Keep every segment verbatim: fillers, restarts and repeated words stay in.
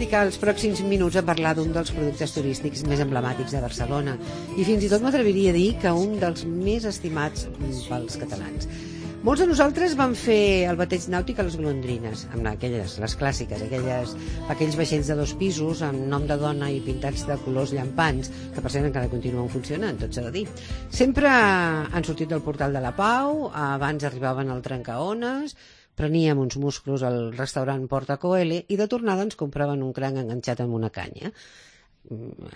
dedicar els pròxims minuts a parlar d'un dels productes turístics més emblemàtics de Barcelona i fins i tot m'atreviria a dir que un dels més estimats pels catalans. Molts de nosaltres vam fer el bateig nàutic a les golondrines, amb aquelles, les clàssiques, aquelles, aquells vaixells de dos pisos amb nom de dona i pintats de colors llampants, que per cert encara continuen funcionant, tot s'ha de dir. Sempre han sortit del portal de la Pau, abans arribaven al Trencaones, preníem uns musclos al restaurant Porta Coeli i de tornada ens compraven un cranc enganxat amb una canya.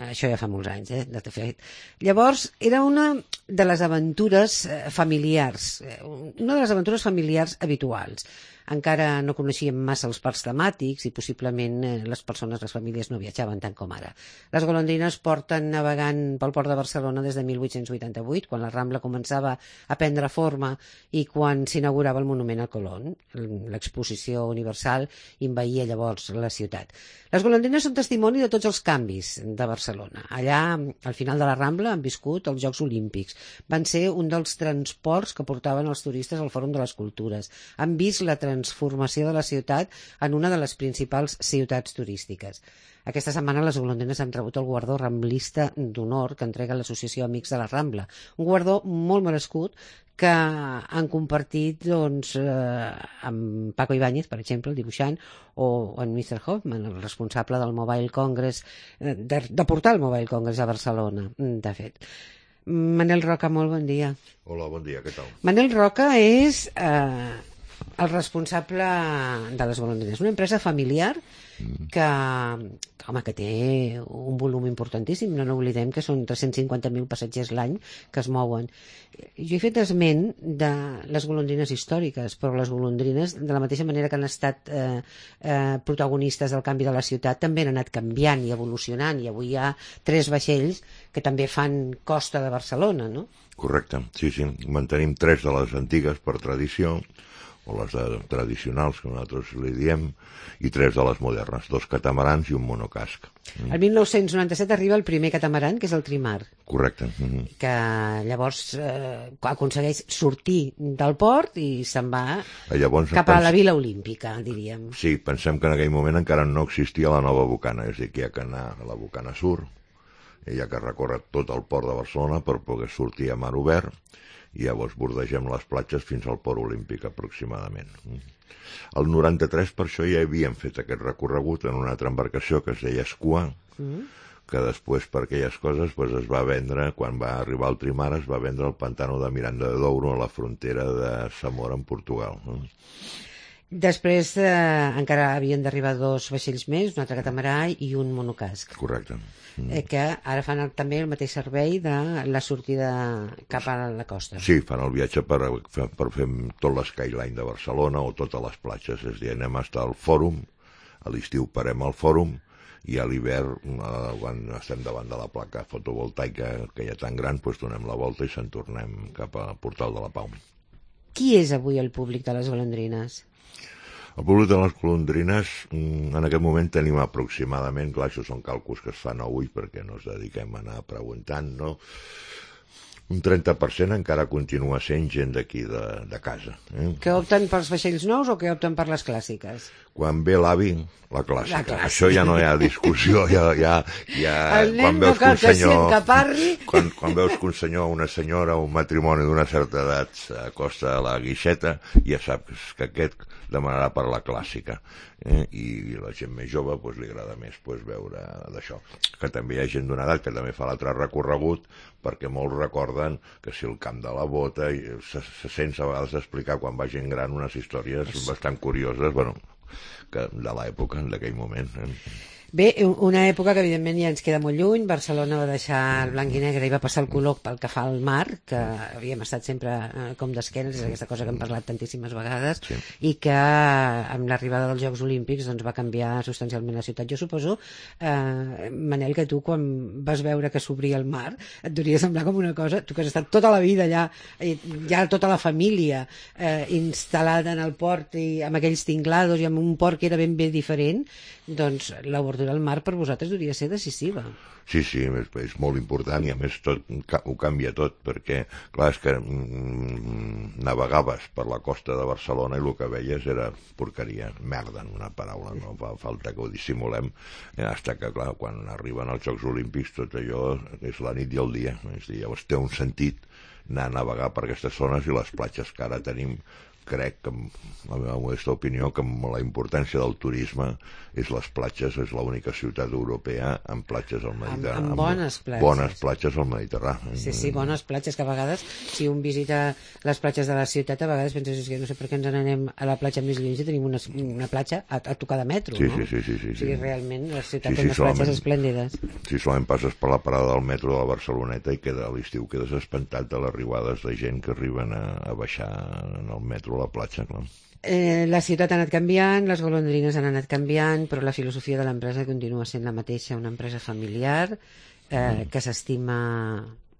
Això ja fa molts anys, eh, de fet. Llavors, era una de les aventures familiars, una de les aventures familiars habituals. Encara no coneixíem massa els parcs temàtics i possiblement les persones, les famílies no viatjaven tant com ara. Les golondrines porten navegant pel port de Barcelona des de mil vuit-cents vuitanta-vuit, quan la Rambla començava a prendre forma i quan s'inaugurava el monument a Colón. L'exposició universal envaïa llavors la ciutat. Les golondrines són testimoni de tots els canvis de Barcelona. Allà, al final de la Rambla, han viscut els Jocs Olímpics. Van ser un dels transports que portaven els turistes al Fòrum de les Cultures. Han vist la transformació de la ciutat en una de les principals ciutats turístiques. Aquesta setmana les golondrines han rebut el guardó ramblista d'honor que entrega l'Associació Amics de la Rambla. Un guardó molt merescut que han compartit doncs, eh, amb Paco Ibáñez, per exemple, el dibuixant, o en mister Hoffman, el responsable del Mobile Congress, eh, de, de portar el Mobile Congress a Barcelona, de fet. Manel Roca, molt bon dia. Hola, bon dia, què tal? Manel Roca és eh, el responsable de les golondrines, una empresa familiar que, que, home, que té un volum importantíssim. No n'oblidem que són tres-cents cinquanta mil passatgers l'any que es mouen. Jo he fet esment de les golondrines històriques, però les golondrines, de la mateixa manera que han estat eh, eh, protagonistes del canvi de la ciutat, també han anat canviant i evolucionant, i avui hi ha tres vaixells que també fan costa de Barcelona, no? Correcte, sí, sí. Mantenim tres de les antigues per tradició, o les de, tradicionals, que nosaltres li diem, i tres de les modernes, dos catamarans i un monocasc. Mm. El mil nou-cents noranta-set arriba el primer catamaran, que és el Trimar. Correcte. Mm-hmm. Que llavors eh, aconsegueix sortir del port i se'n va llavors, cap a la Vila Olímpica, diríem. Sí, pensem que en aquell moment encara no existia la nova bocana, és a dir, que hi ha que anar a la bocana sur, i hi ha que recórrer tot el port de Barcelona per poder sortir a mar obert, i llavors bordegem les platges fins al port olímpic aproximadament. El noranta-tres per això ja havíem fet aquest recorregut en una altra embarcació que es deia Escua, mm. que després per aquelles coses pues, es va vendre, quan va arribar el Trimar, es va vendre el pantano de Miranda de Douro a la frontera de Zamora en Portugal. Després eh, encara havien d'arribar dos vaixells més, un altre catamarà i un monocasc. Correcte. Mm. Eh, que ara fan el, també el mateix servei de la sortida cap a la costa. Sí, fan el viatge per, per fer tot l'Skyline de Barcelona o totes les platges. És a dir, anem fins al Fòrum, a l'estiu parem al Fòrum, i a l'hivern, eh, quan estem davant de la placa fotovoltaica que hi ha tan gran, doncs donem la volta i se'n tornem cap al Portal de la Pau. Qui és avui el públic de les golondrines? El públic de les golondrines, en aquest moment tenim aproximadament, clar, això són càlculs que es fan avui perquè no ens dediquem a anar preguntant, no? Un trenta per cent encara continua sent gent d'aquí de, de casa. Eh? Que opten pels vaixells nous o que opten per les clàssiques? Quan ve l'avi, la clàssica. La clàssica. Això ja no hi ha discussió. Ja, ja, ja, el nen quan no veus cal que, un senyor, que parli. Quan, quan veus que un senyor o una senyora o un matrimoni d'una certa edat s'acosta a la guixeta, ja saps que aquest demanarà per la clàssica. Eh? I la gent més jove pues, li agrada més pues, veure d'això. Que també hi ha gent d'una edat que també fa l'altre recorregut, perquè molts recorden que si el camp de la bota se, se sents a vegades explicar quan va gent gran unes històries sí. bastant curioses, bueno, que de l'època, d'aquell moment. Eh? Bé, una època que evidentment ja ens queda molt lluny. Barcelona va deixar el blanc i negre i va passar el color pel que fa al mar, que havíem estat sempre eh, com d'esquenes, és aquesta cosa que hem parlat tantíssimes vegades, sí. i que amb l'arribada dels Jocs Olímpics doncs, va canviar substancialment la ciutat. Jo suposo, eh, Manel, que tu quan vas veure que s'obria el mar et devia semblar com una cosa, tu que has estat tota la vida allà, ja tota la família eh, instal·lada en el port i amb aquells tinglados i amb un port que era ben bé diferent, doncs l'oportunitat l'obertura al mar per vosaltres hauria de ser decisiva. Sí, sí, és, és molt important i a més tot ho canvia tot, perquè clar, és que mm, navegaves per la costa de Barcelona i el que veies era porqueria, merda en una paraula, no fa falta que ho dissimulem, eh, hasta que clar, quan arriben els Jocs Olímpics tot allò és la nit i el dia, és a dir, llavors té un sentit anar a navegar per aquestes zones i les platges que ara tenim, crec que, la meva modesta opinió, que la importància del turisme és les platges, és l'única ciutat europea amb platges al Mediterrani. Amb, amb bones platges. Bones platges al Mediterrani. Sí, sí, bones platges, que a vegades, si un visita les platges de la ciutat, a vegades penses que no sé per què ens n'anem a la platja més lluny i tenim una, una platja a, a tocar de metro, sí, no? Sí, sí, sí. sí, o sigui, sí. realment, la ciutat sí, té sí, unes platges esplèndides. Si solament passes per la parada del metro de la Barceloneta i queda a l'estiu quedes espantat de les arribades de gent que arriben a, a baixar en el metro a la platja, clar. Eh, la ciutat ha anat canviant, les golondrines han anat canviant, però la filosofia de l'empresa continua sent la mateixa, una empresa familiar eh, mm. que s'estima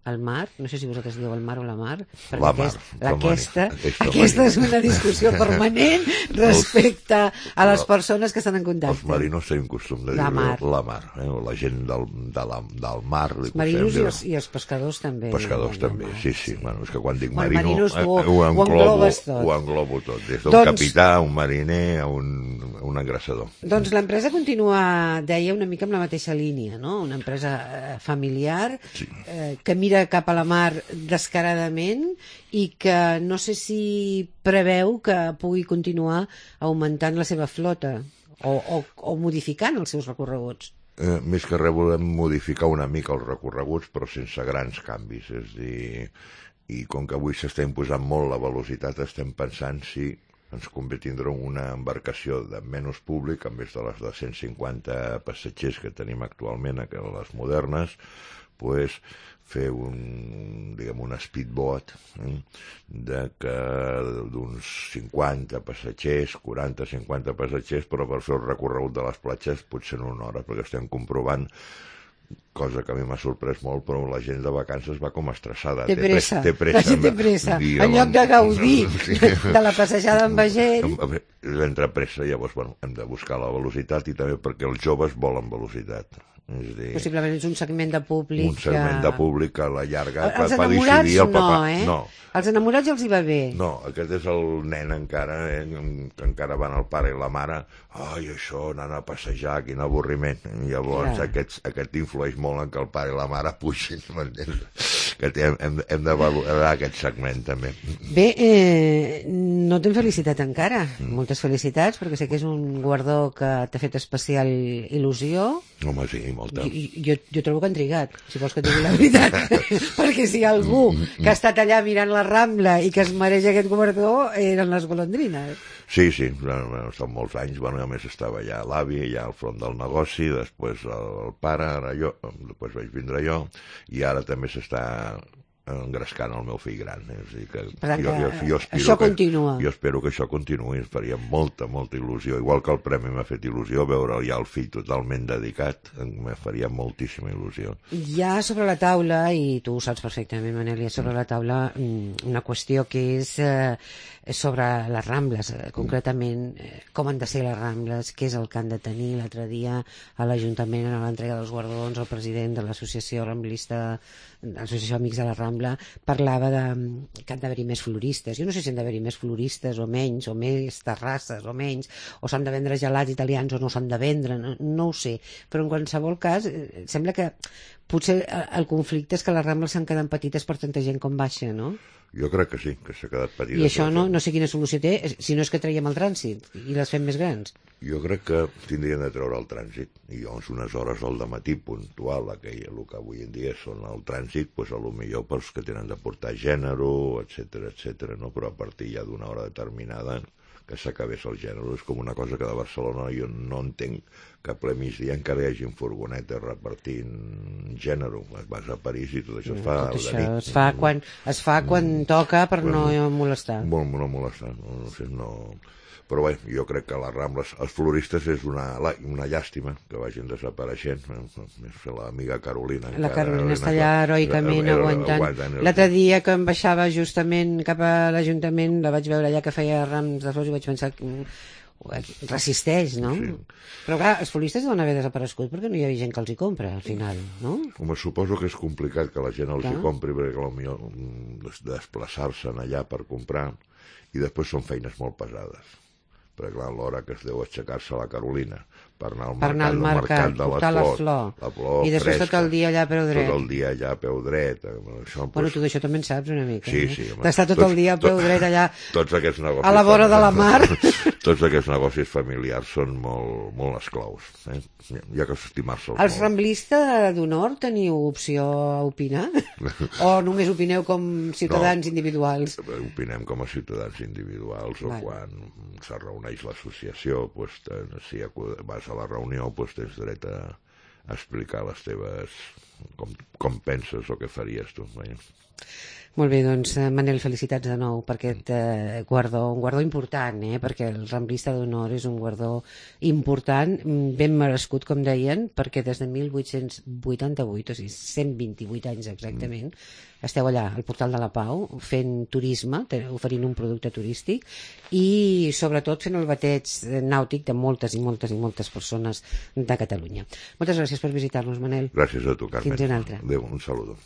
el mar, no sé si vosaltres dieu el mar o la mar, perquè la aquest, mar, aquesta, aquesta, aquesta és una discussió permanent respecte a les persones que estan en contacte. Els marinos tenen costum de la dir mar. la mar, eh? la gent del, de la, del mar. Els marinos i els, i els pescadors també. Pescadors també, sí, sí, sí. Bueno, és que quan dic bueno, marino ho, eh, ho, ho, englobo, tot. ho englobo tot, des d'un doncs, capità, un mariner, a un, un engrasador. Doncs l'empresa continua, deia, una mica amb la mateixa línia, no? Una empresa eh, familiar sí. eh, que mira cap a la mar descaradament i que no sé si preveu que pugui continuar augmentant la seva flota o, o, o modificant els seus recorreguts. Eh, més que res volem modificar una mica els recorreguts però sense grans canvis, és dir, i com que avui s'està imposant molt la velocitat estem pensant si ens convé tindre una embarcació de menys públic en vez de les de cent cinquanta passatgers que tenim actualment, que les modernes, pues, fer un, diguem, un speedboat eh, de que d'uns cinquanta passatgers, quaranta cinquanta passatgers, però per fer el recorregut de les platges potser en una hora, perquè estem comprovant cosa que a mi m'ha sorprès molt, però la gent de vacances va com estressada. Té pressa, té pressa, la gent té pressa. I, en lloc de gaudir sí. de la passejada amb vaixell. Entra pressa, llavors bueno, hem de buscar la velocitat i també perquè els joves volen velocitat. És dir, possiblement és un segment de públic un segment que... de públic que a la llarga els fa enamorats decidir el papà. No, eh? No. Els enamorats els hi va bé. No, aquest és el nen encara, eh, que encara van el pare i la mare, ai, això, anant a passejar, quin avorriment. I llavors ja. aquest, aquest influeix molt en que el pare i la mare pugin, que hem, hem, hem de valorar aquest segment també. Bé, eh, no t'hem felicitat encara. Mm. Moltes felicitats, perquè sé que és un guardó que t'ha fet especial il·lusió. Home, sí, molta. Jo, jo, jo trobo que han trigat, si vols que et digui la veritat. Perquè si hi ha algú que ha estat allà mirant la Rambla i que es mereix aquest guardó, eren les golondrines. Sí, sí, bueno, són molts anys, bueno, a més estava allà l'avi, allà al front del negoci, després el pare, ara jo, després vaig vindre jo, i ara també s'està engrescant el meu fill gran. És a dir, que per tant, jo, jo, jo espero això que, continua. Jo espero que això continuï, ens faria molta, molta il·lusió. Igual que el premi m'ha fet il·lusió, veure ja el fill totalment dedicat, me faria moltíssima il·lusió. Hi ha sobre la taula, i tu ho saps perfectament, Manel, hi ha sobre la taula una qüestió que és eh, sobre les Rambles, eh, concretament eh, com han de ser les Rambles, què és el que han de tenir. L'altre dia a l'Ajuntament, en l'entrega dels guardons, el president de l'associació ramblista, l'associació Amics de la Rambla, parlava de que han d'haver-hi més floristes. Jo no sé si han d'haver-hi més floristes o menys, o més terrasses o menys, o s'han de vendre gelats italians o no s'han de vendre, no, no ho sé. Però en qualsevol cas, eh, sembla que potser el conflicte és que les Rambles s'han quedat petites per tanta gent com baixa, no? Jo crec que sí, que s'ha quedat petita. I això no, no sé quina solució té, si no és que traiem el trànsit i les fem més grans. Jo crec que tindrien de treure el trànsit i llavors unes hores al dematí puntual, aquell, el que avui en dia són el trànsit, doncs a lo millor pels que tenen de portar gènere, etcètera, etcètera, no? Però a partir ja d'una hora determinada que s'acabés el gènere. És com una cosa que de Barcelona jo no entenc que a ple migdia encara hi hagi furgonetes repartint gènere. Vas a París i tot això es fa tot de això nit. Es fa quan, es fa quan toca per bueno, no molestar. Molt, no molestar. No, no sé, no... Però bé, jo crec que les Rambles, els floristes és una, una llàstima que vagin desapareixent. L'amiga Carolina. La Carolina està allà heroicament aguantant. L'altre dia que em baixava justament cap a l'Ajuntament, la vaig veure allà que feia rams de flors i vaig pensar que resisteix, no? Sí. Però clar, els floristes deuen haver desaparegut perquè no hi ha gent que els hi compra, al final, no? Home, suposo que és complicat que la gent els Clar. hi compri, perquè potser desplaçar-se'n allà per comprar, i després són feines molt pesades. Perquè clar, l'hora que es deu aixecar-se a la Carolina per anar al per anar mercat, al mercat, de portar la la flor, flor, la flor i després fresca, tot el dia allà a peu dret. tot el dia allà a peu dret. Això, Bueno, tu d'això també en saps una mica, sí, eh? sí, home, d'estar tot tots- el dia a peu tot- dret allà tots aquests negocis a la vora de la mar. tots aquests negocis familiars són molt, molt esclaus, eh? Hi ha que estimar-se'ls Els molt. ramblistes d'honor teniu opció a opinar? O només opineu com ciutadans No. individuals? Opinem com a ciutadans individuals, o Vale. quan se reuneix l'associació, doncs, te- si acu- vas a la reunió, doncs, tens dret a, a explicar les teves... Com, com penses o què faries tu. Eh? Molt bé, doncs, eh, Manel, felicitats de nou per aquest eh, guardó, un guardó important, eh? Perquè el ramblista d'honor és un guardó important, mm, ben merescut, com deien, perquè des de mil vuit-cents vuitanta-vuit, o sigui, cent vint-i-vuit anys exactament, esteu allà, al Portal de la Pau, fent turisme, te- oferint un producte turístic i, sobretot, fent el bateig eh, nàutic de moltes i moltes i moltes persones de Catalunya. Moltes gràcies per visitar-nos, Manel. Gràcies a tu, Carmen. Fins una altra. Adéu, un saludo.